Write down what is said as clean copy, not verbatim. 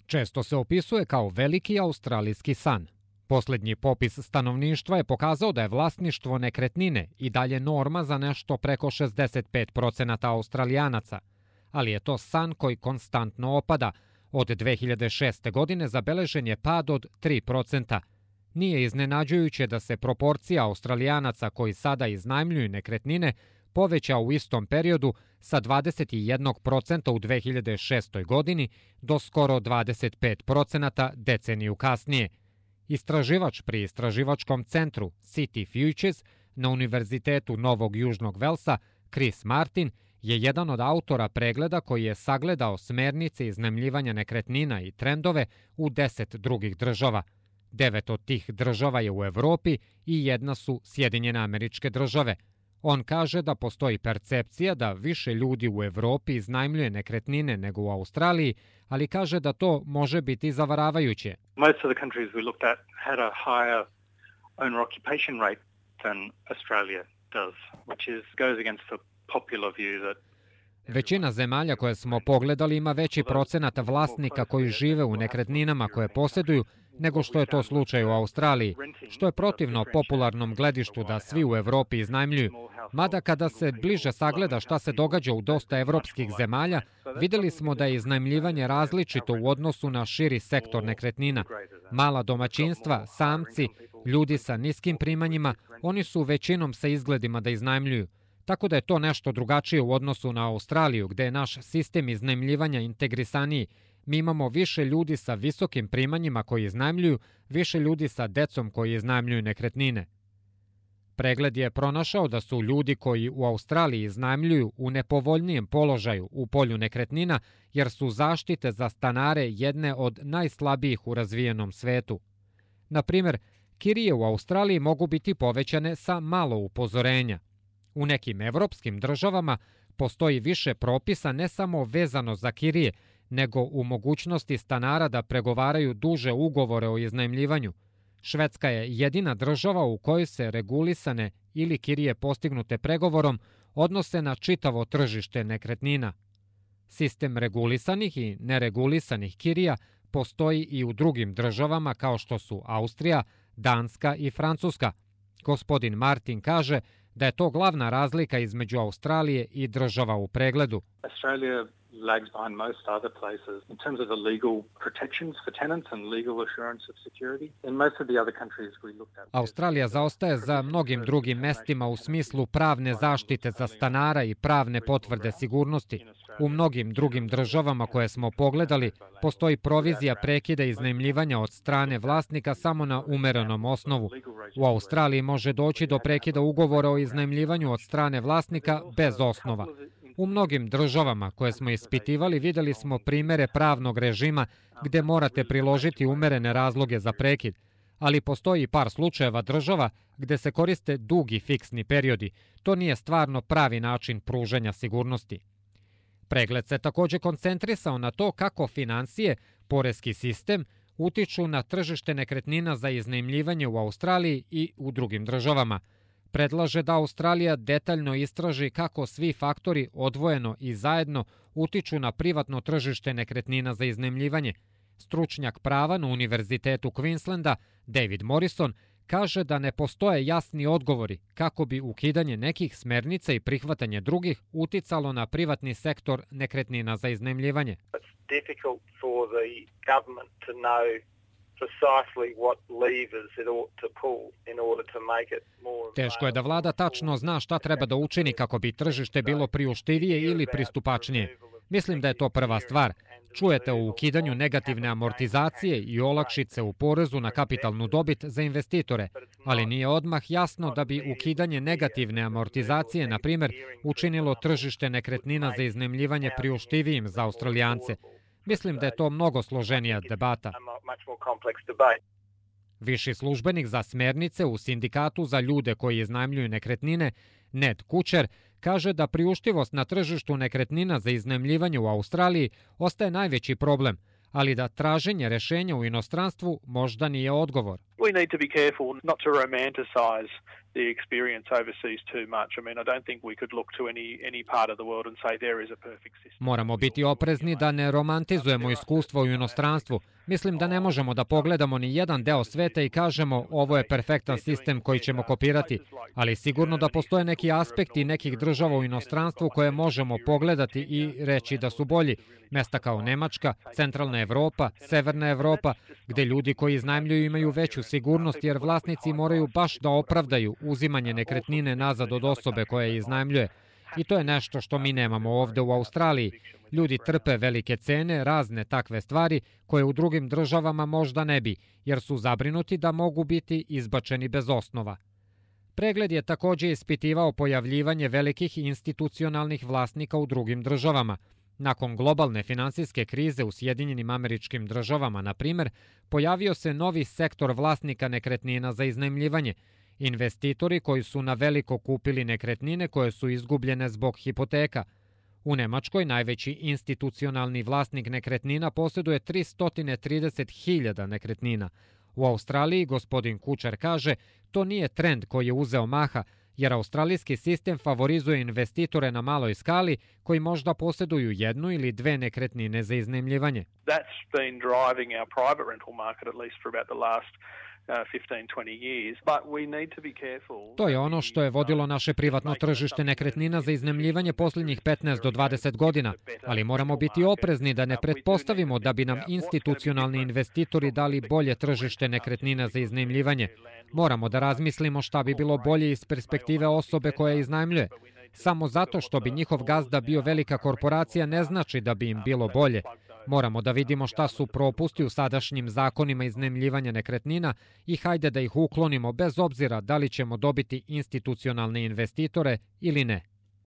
često se opisuje kao veliki australijski san. Posljednji popis stanovništva je pokazao da je vlasništvo nekretnine i dalje norma za nešto preko 65% Australijanaca, ali je to san koji konstantno opada. Od 2006. godine zabeležen je pad od 3%. Nije iznenađujuće da se proporcija Australijanaca koji sada iznajmljuju nekretnine poveća u istom periodu sa 21% u 2006. godini do skoro 25% deceniju kasnije. Istraživač pri istraživačkom centru City Futures na Univerzitetu Novog Južnog Velsa, Chris Martin, je jedan od autora pregleda koji je sagledao smernice iznajmljivanja nekretnina i trendove u 10 drugih država. 9 od tih država je u Evropi i jedna su Sjedinjene Američke Države. On kaže da postoji percepcija da više ljudi u Evropi iznajmljuje nekretnine nego u Australiji, ali kaže da to može biti zavaravajuće. Most of the countries we looked at had a higher owner occupation rate than Australia does, which goes against the popular view that Većina zemalja koje smo pogledali ima veći procenat vlasnika koji žive u nekretninama koje posjeduju nego što je to slučaj u Australiji, što je protivno popularnom gledištu da svi u Evropi iznajmljuju. Mada kada se bliže sagleda šta se događa u dosta evropskih zemalja, vidjeli smo da je iznajmljivanje različito u odnosu na širi sektor nekretnina. Mala domaćinstva, samci, ljudi sa niskim primanjima, oni su većinom sa izgledima da iznajmljuju. Tako da je to nešto drugačije u odnosu na Australiju, gde je naš sistem iznajmljivanja integrisaniji. Mi imamo više ljudi sa visokim primanjima koji iznajmljuju, više ljudi sa decom koji iznajmljuju nekretnine. Pregled je pronašao da su ljudi koji u Australiji iznajmljuju u nepovoljnijem položaju u polju nekretnina, jer su zaštite za stanare jedne od najslabijih u razvijenom svetu. Na primjer, kirije u Australiji mogu biti povećane sa malo upozorenja. U nekim evropskim državama postoji više propisa ne samo vezano za kirije, nego u mogućnosti stanara da pregovaraju duže ugovore o iznajmljivanju. Švedska je jedina država u kojoj se regulisane ili kirije postignute pregovorom odnose na čitavo tržište nekretnina. Sistem regulisanih i neregulisanih kirija postoji i u drugim državama kao što su Austrija, Danska i Francuska. Gospodin Martin kaže da je to glavna razlika između Australije i država u pregledu. Australia lags behind most other places in terms of the legal protections for tenants and legal assurance of security. In most of the other countries we looked at. Australija zaostaje za mnogim drugim mestima u smislu pravne zaštite za stanara i pravne potvrde sigurnosti. U mnogim drugim državama koje smo pogledali postoji provizija prekida iznajmljivanja od strane vlasnika samo na umerenom osnovu. U Australiji može doći do prekida ugovora o iznajmljivanju od strane vlasnika bez osnova. U mnogim državama koje smo ispitivali vidjeli smo primere pravnog režima gdje morate priložiti umerene razloge za prekid, ali postoji par slučajeva država gdje se koriste dugi fiksni periodi. To nije stvarno pravi način pružanja sigurnosti. Pregled se također koncentrisao na to kako financije, poreski sistem, utiču na tržište nekretnina za iznajmljivanje u Australiji i u drugim državama. Predlaže da Australija detaljno istraži kako svi faktori odvojeno i zajedno utiču na privatno tržište nekretnina za iznajmljivanje. Stručnjak prava na Univerzitetu Queenslanda, David Morrison, kaže da ne postoje jasni odgovori kako bi ukidanje nekih smernica i prihvatanje drugih uticalo na privatni sektor nekretnina za iznajmljivanje. Teško je da vlada tačno zna šta treba da učini kako bi tržište bilo priuštivije ili pristupačnije. Mislim da je to prva stvar. Čujete o ukidanju negativne amortizacije i olakšice u porezu na kapitalnu dobit za investitore, ali nije odmah jasno da bi ukidanje negativne amortizacije, na primjer, učinilo tržište nekretnina za iznajmljivanje priuštivijim za Australijance. Mislim da je to mnogo složenija debata. Viši službenik za smernice u sindikatu za ljude koji iznajmljuju nekretnine, Ned Kučer, kaže da priuštivost na tržištu nekretnina za iznajmljivanje u Australiji ostaje najveći problem, ali da traženje rešenja u inostranstvu možda nije odgovor. We need to be careful not to romanticize the experience overseas too much. I mean, I don't think we could look to any part of the world and say there is a perfect system. Moramo biti oprezni da ne romantizujemo iskustvo u inostranstvu. Mislim da ne možemo da pogledamo ni jedan deo sveta i kažemo ovo je perfektan sistem koji ćemo kopirati, ali sigurno da postoje neki aspekti nekih država u inostranstvu koje možemo pogledati i reći da su bolji. Mesta kao Nemačka, Centralna Evropa, Severna Evropa, gde ljudi koji iznajmljuju imaju veću sigurnost jer vlasnici moraju baš da opravdaju uzimanje nekretnine nazad od osobe koja je iznajmljuje. I to je nešto što mi nemamo ovde u Australiji. Ljudi trpe velike cene, razne takve stvari koje u drugim državama možda ne bi, jer su zabrinuti da mogu biti izbačeni bez osnova. Pregled je takođe ispitivao pojavljivanje velikih institucionalnih vlasnika u drugim državama. Nakon globalne finansijske krize u Sjedinjenim Američkim Državama, na primer, pojavio se novi sektor vlasnika nekretnina za iznajmljivanje. Investitori koji su na veliko kupili nekretnine koje su izgubljene zbog hipoteka. U Nemačkoj najveći institucionalni vlasnik nekretnina posjeduje 330.000 nekretnina. U Australiji, gospodin Kučar kaže, to nije trend koji je uzeo maha, jer australijski sistem favorizuje investitore na maloj skali koji možda posjeduju jednu ili dve nekretnine za iznajmljivanje. That's been driving our private rental market at least for about the last 15-20 years, but we need to be careful. To je ono što je vodilo naše privatno tržište nekretnina za iznajmljivanje posljednjih 15 do 20 godina, ali moramo biti oprezni da ne pretpostavimo da bi nam institucionalni investitori dali bolje tržište nekretnina za iznajmljivanje. Moramo da razmislimo šta bi bilo bolje iz perspektive osobe koja iznajmljuje. Samo zato što bi njihov gazda bio velika korporacija ne znači da bi im bilo bolje. Moramo da vidimo šta su propusti u sadašnjim zakonima iznajmljivanja nekretnina i hajde da ih uklonimo bez obzira da li ćemo dobiti institucionalne investitore ili ne.